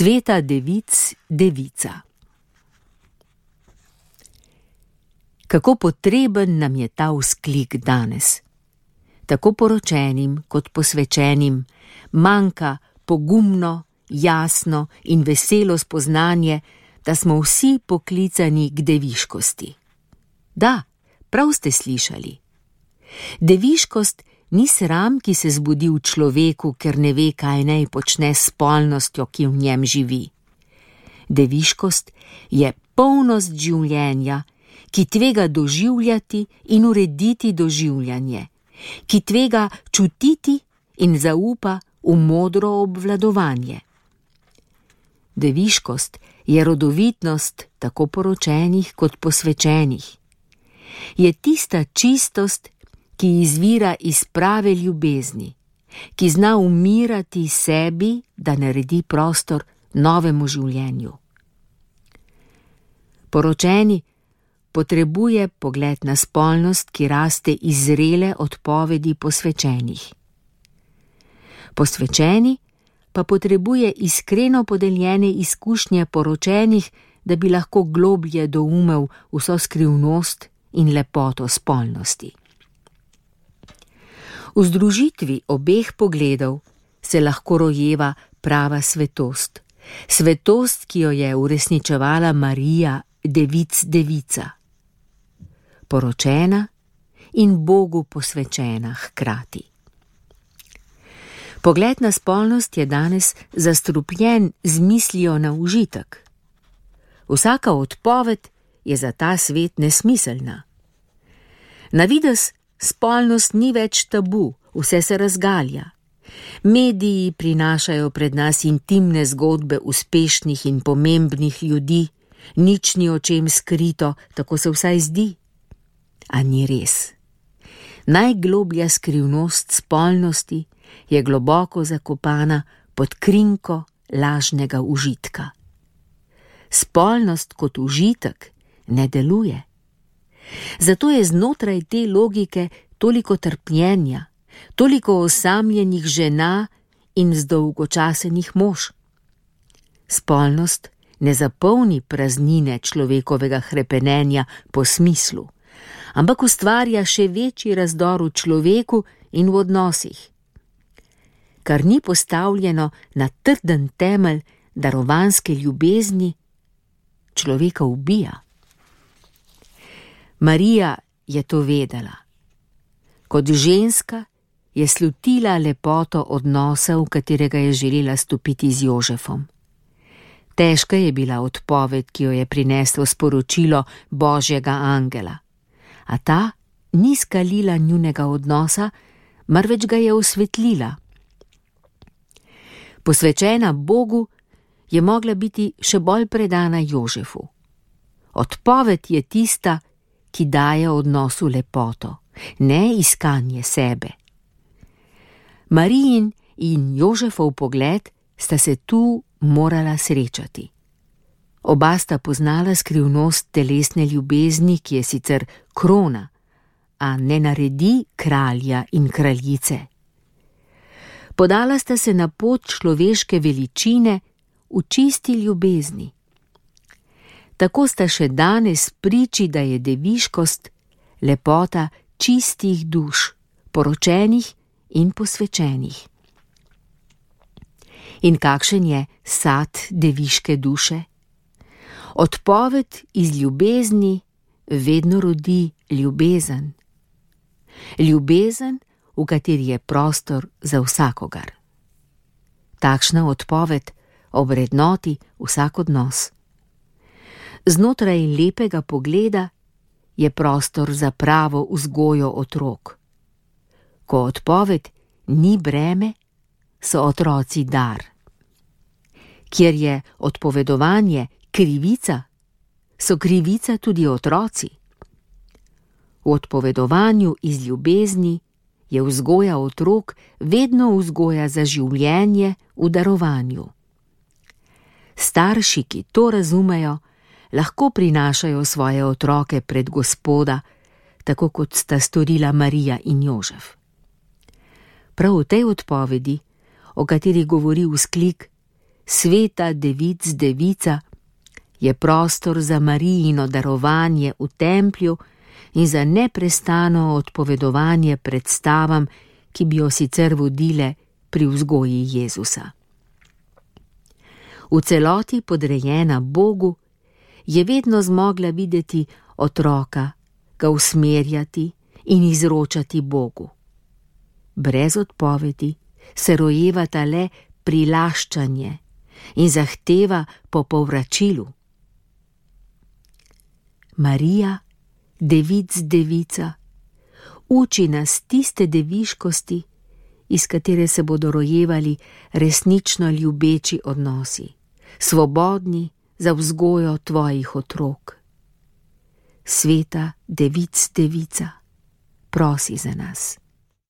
Sveta devic devica. Kako potreben nam je ta vzklik danes. Tako poročenim kot posvečenim manjka pogumno, jasno in veselo spoznanje, da smo vsi poklicani k deviškosti. Da, prav ste slišali. Deviškost ni sram, ki se zbudi v človeku, ker ne ve, kaj naj počne s spolnostjo, ki v njem živi. Deviškost je polnost življenja, ki tvega doživljati in urediti doživljanje, ki tvega čutiti in zaupa v modro obvladovanje. Deviškost je rodovitnost tako poročenih kot posvečenih. Je tista čistost, ki izvira iz prave ljubezni, ki zna umirati sebi, da naredi prostor novemu življenju. Poročeni potrebuje pogled na spolnost, ki raste iz zrele odpovedi posvečenih. Posvečeni pa potrebuje iskreno podeljene izkušnje poročenih, da bi lahko globlje doumel vso skrivnost in lepoto spolnosti. V združitvi obeh pogledov se lahko rojeva prava svetost, svetost, ki jo je uresničevala Marija, devic devica, poročena in Bogu posvečena hkrati. Pogled na spolnost je danes zastrupljen z mislijo na užitek. Vsaka odpoved je za ta svet nesmiselna. Na videz spolnost ni več tabu, vse se razgalja. Mediji prinašajo pred nas intimne zgodbe uspešnih in pomembnih ljudi, nič ni o čem skrito, tako se vsaj zdi. A ni res. Najgloblja skrivnost spolnosti je globoko zakopana pod krinko lažnega užitka. Spolnost kot užitek ne deluje. Zato je znotraj te logike toliko trpljenja, toliko osamljenih žena in zdolgočasenih mož. Spolnost ne zapolni praznine človekovega hrepenenja po smislu, ampak ustvarja še večji razdor v človeku in v odnosih. Kar ni postavljeno na trden temelj darovanske ljubezni, človeka ubija. Marija je to vedela. Kot ženska je slutila lepoto odnosa, v katerega je želela stopiti z Jožefom. Težka je bila odpoved, ki jo je prineslo sporočilo Božjega angela, a ta ni skalila njunega odnosa, marveč ga je osvetlila. Posvečena Bogu je mogla biti še bolj predana Jožefu. Odpoved je tista, ki daje odnosu lepoto, ne iskanje sebe. Marijin in Jožefov pogled sta se tu morala srečati. Oba sta poznala skrivnost telesne ljubezni, ki je sicer krona, a ne naredi kralja in kraljice. Podala sta se na pot človeške veličine v čisti ljubezni. Tako sta še danes priči, da je deviškost lepota čistih duš, poročenih in posvečenih. In kakšen je sad deviške duše? Odpoved iz ljubezni vedno rodi ljubezen. Ljubezen, v kateri je prostor za vsakogar. Takšna odpoved ovrednoti vsak odnos. Znotraj lepega pogleda je prostor za pravo vzgojo otrok. Ko odpoved ni breme, so otroci dar. Kjer je odpovedovanje krivica, so krivica tudi otroci. V odpovedovanju iz ljubezni je vzgoja otrok vedno vzgoja za življenje v darovanju. Starši, ki to razumejo, lahko prinašajo svoje otroke pred Gospoda, tako kot sta storila Marija in Jožef. Prav v tej odpovedi, o kateri govori vzklik, sveta devic devica, je prostor za Marijino darovanje v templju in za neprestano odpovedovanje predstavam, ki bi jo sicer vodile pri vzgoji Jezusa. V celoti podrejena Bogu, je vedno zmogla videti otroka, ga usmerjati in izročati Bogu. Brez odpovedi se rojevata le prilaščanje in zahteva po povračilu. Marija, devic devica, uči nas tiste deviškosti, iz katere se bodo rojevali resnično ljubeči odnosi, svobodni za vzgojo tvojih otrok. Sveta devic devica, prosi za nas.